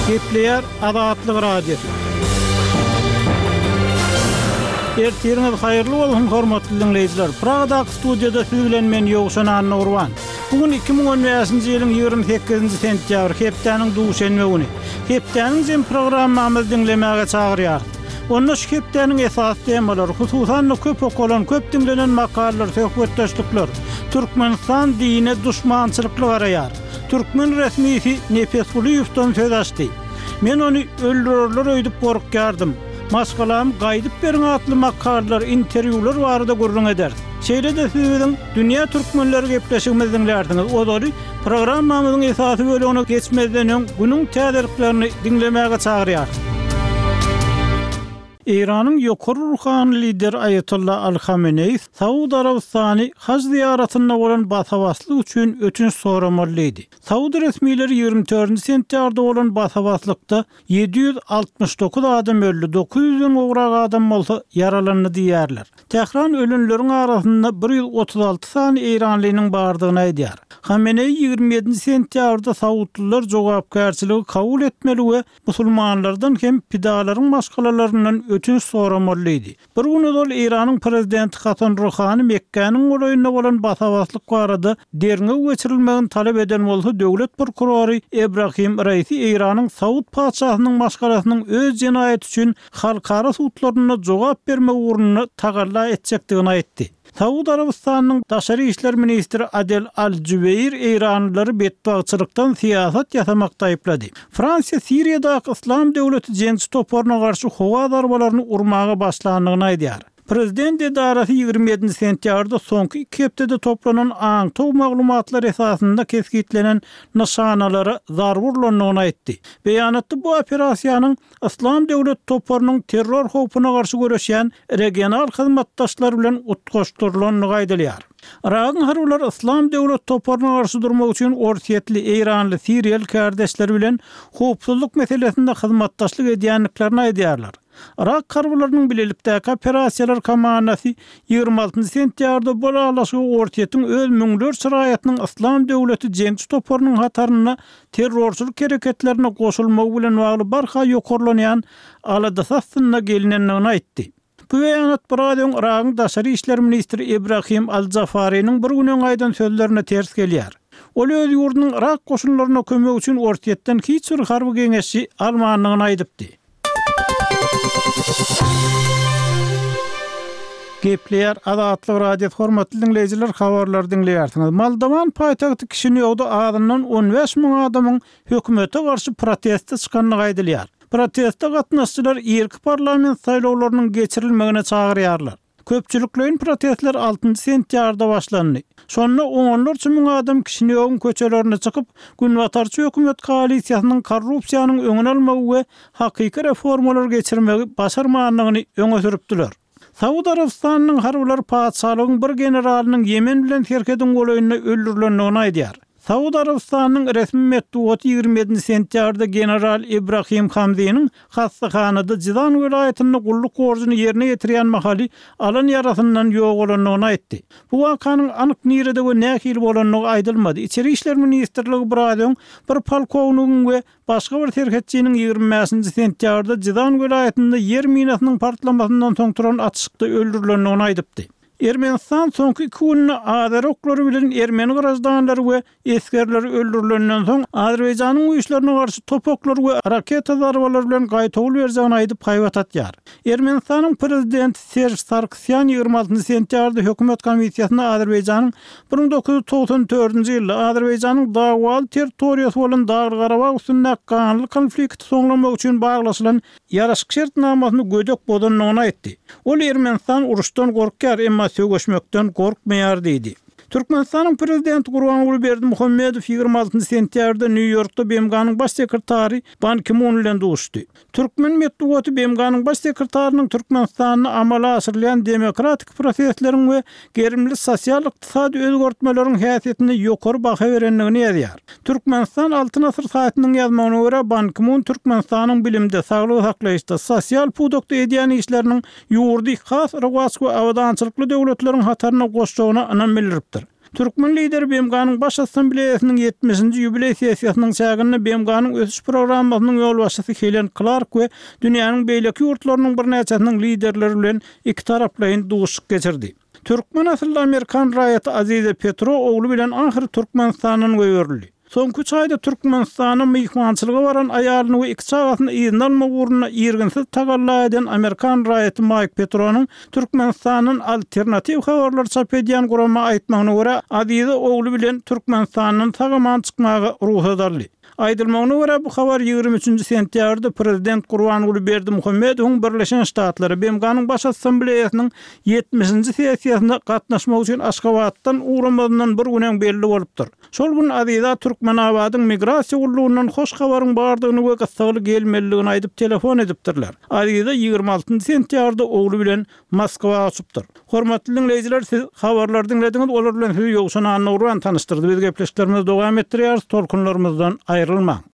Gepleýär Azatlyk Radiosy. Ertiriňiz haýyrly bolsun, hormatly diňleýjiler! Pragadaky studiýada siz bilen men Ýowşan Annagurban. Bu gün 2015-nji ýylyň 28-nji sentýabry, hepdäniň duşenbe güni. Hepdäniň jem programmamyzy diňlemäge çagyrýarys. Onda şu hepdäniň esasy temalary, hususan-da köp okalan, köp diňlenen makalalar, söhbetdeşlikler, Türkmenistan dine duşmançylykly garaýar. Türkmen resmisi Nepesgulyýewden söz açdy. Men ony öldürerler öýdüp gorkýardym. Maşgalamy gaýdyp beriň atly makalalar, interwýular barada gürrüň ederis. Şeýle-de siz biziň Dünýä türkmenleri gepleşigimizi diňlärsiňiz. Ozaly programmamyzyň esasy bölegine geçmezden öň günüň täzeliklerini diňlemäge çagyrýarys. Eýranyň ýokary ruhany lideri Aýatolla Aly Hameneýi Saud Arabystany haj zyýaratynda bolan basa-baslyk üçin ötünç soramaly diýdi. Saud resmileri 24 sentýabrda bolan basa-baslykda 769 adam öldi, 900 den gowrak adam bolsa ýaralandy diýýärler. Tähran ölenleriň arasynda 136 sany eýranlynyň bardygyny aýdýar. Hameneýi 27 sentýabrda saudlylar jogapkärçiligi kabul etmeli we musulmanlardan hem pidalaryň maşgalalaryndan ötünç soramaly diýdi. Bir gün ozal Eýranyň prezidenti Hasan Ruhany Mekgäniň golaýynda bolan basa-baslyk barada derňew geçirilmegini talap eden bolsa, döwlet prokurory Ebrahim Raisi Eýranyň Saud patyşasynyň maşgalasynyň öz jenaýaty üçin halkara sudlarynda jogap bermegi ugrunda tagalla etjekdigini aýtdy. Saud Arabystanynyň daşary işler ministri Adel Al-Jubeir eýranlylary betbagtçylykdan syýasat ýasamakda aýyplady. Fransiýa Siriýadaky Yslam döwleti jeňçi toparyna garşy howa zarbalaryny urmaga başlandygyny aýdýar. Prezident edarasy 27 sentýabrda soňky iki hepdede toplanan aňtaw maglumatlary esasynda kesgitlenen nyşanalara zarba urlandygyny aýtdy. Beýanatda bu operasiýanyň Yslam döwleti toparynyň terror howpuna garşy göreşýän regional hyzmatdaşlar bilen utgaşdyrylandygy aýdylýar. Yragyň harbylary Yslam döwleti toparyna garşy durmak üçin orsýetli, eýranly, siriýaly kärdeşleri bilen howpsuzlyk meselesinde hyzmatdaşlyk edýändiklerini aýdýarlar. Yrak harbylarynyň bilelikdäki operasiýalar komandasy 26 sentýabrda bu ylalaşygy Orsýetiň öz müňlerçe raýatynyň Yslam döwleti jeňçi toparynyň hatarynda terrorçylyk hereketlerine goşulmagy bilen bagly barha ýokarlanýan aladasy astynda gelinendigini aýtdy. Bu beýanat biraz öň Yragyň daşary işler ministri Ibrahim al-Jafariniň bir gün öň aýdan sözlerine ters gelýär. Ol öz ýurdunyň Yrak goşunlaryna kömek üçin Orsýetden hiç bir harby geňeşçi almandygyny aýdypdy. Gepleýär Azatlyk Radiosy hormatly diňleýjiler habarlary diňleýärsiňiz. Moldowan paýtagty Kişinýowda azyndan 15 müň adamyň hökümete garşy proteste çykandygy aýdylýar. Proteste gatnaşyjylar irki parlament saýlawlarynyň geçirilmegine çagyrýarlar. Köpçülikleýin protestler altynjy sentýabrda başlandy. Şonda onlarça müň adam Kişinýowyň köçelerine çykyp, günbatarçy hökümet koalisiýasynyň korrupsiýanyň öňüni almagy we hakyky reformalary geçirmegi başarmandygyny öňe sürüpdiler. Saud Arabystanynyň harbylary patyşalygyň bir generalynyň Ýemen bilen serhediň golaýynda öldürilendigini aýdýar. Saud Arabystanynyň resmi metbugaty 27 sentýabrda general Ibrahim Hamziniň hassahanada Jizan welaýatynda gulluk borjuny ýerine ýetirýän mahaly alan ýarasyndan ýogalandygyny aýtdy. Bu wakanyň anyk nirede we nähili bolandygy aýdylmady. Içeri işler ministrligi biraz öň bir polkownigiň we başga bir serhetçiniň 25 sentýabrda Jizan welaýatynda ýer minasynyň partlamasyndan soň turan atyşykda öldürilendigini aýdypdy. Ermenistan soňky iki günde azeri oklary bilen ermeni graždanlary we esgerleri öldürilenden soň, Azerbaýjanyň güýçlerine garşy top oklary we raketa zarbalary bilen gaýtawul berjegini aýdyp haýbat atýar. Ermenistanyň prezidenti Serž Sarkisýan 26 sentýabrda hökümet komissiýasynda Azerbaýjanyň 1994-nji ýylda Azerbaýjanyň dawaly territoriýasy bolan Dagly-Garabag üstündäki ganly konflikti soňlamak üçin baglaşylan ýaraşyk şertnamasyny gödek bozandygyny aýtdy. Ol Ermenistan uruşdan gorkýar, emma söweşmekden gorkmaýar diýdi. Türkmenistanyň Prezidenti Gurbanguly Berdimuhamedow 26 sentýabrda Nýu-Ýorkda BMG-niň Baş sekretary Ban Ki-mun bilen duşuşdy. Türkmen metbugaty BMG-niň Baş sekretarynyň Türkmenistanda amala aşyrylýan demokratik prosesleriň we gerimli sosial-ykdysady özgertmeleriň häsiýetine ýokary baha berendigini ýazýar. Türkmenistan Altyn asyr saýtynyň ýazmagyna görä, Ban Ki-mun Türkmenistanyň bilimde, saglygy saklaýyşda, sosial pudakda edýän işleriniň ýurdy has rowaç we abadançylykly döwletleriň hataryna goşjagyna ynam bildiripdir. Türkmen Lideri BMG-niň Baş Assambleýasynyň ýetmişinji ýubileý sessiýasynyň çäginde BMG-niň Ösüş programmasynyň ýolbaşçysy Helen Klark we dünýäniň beýleki ýurtlarynyň birnäçesiniň liderleri bilen ikitaraplaýyn duşuşyk geçirdi. Türkmen asylly amerikan raýaty Aziza Petro ogly bilen ahyry Türkmenistandan goýberildi. Soňky üç aýda Türkmenistana myhmançylyga baran aýalyny we iki çagasyny yzyna almak ugrunda irginsiz tagalla eden amerikan raýaty Maýk Petronyň Türkmenistandan alternatiw habarlary çap edýän gurama aýtmagyna görä, Aziza ogly bilen Türkmenistandan sag-aman çykmaga rugsat aldy. Aýdylmagyna görä, bu habar 23 nji sentýabrda prezident Gurbanguly Berdimuhamedowyň Birleşen Ştatlara BMG-niň Baş Assambleýasynyň ýetmişinji sessiýasyna gatnaşmak üçin Aşgabatdan ugramazyndan bir gün öň belli bolupdyr. Şol gün Aziza Türkmenabadyň migrasiýa gullugyndan hoş habaryň bardygyny we gyssagly gelmelidigini aýdyp telefon edipdirler. Aziza 26 sentýabrda ogly bilen Moskwa uçupdyr. Hormatly diňleýjiler siz habarlary diňlediňiz, olar bilen sizi Ýowşan Annagurban tanyşdyrdy. Biz gepleşiklerimizi dowam etdirýäris, tolkunlarymyzdan aýrylmaň.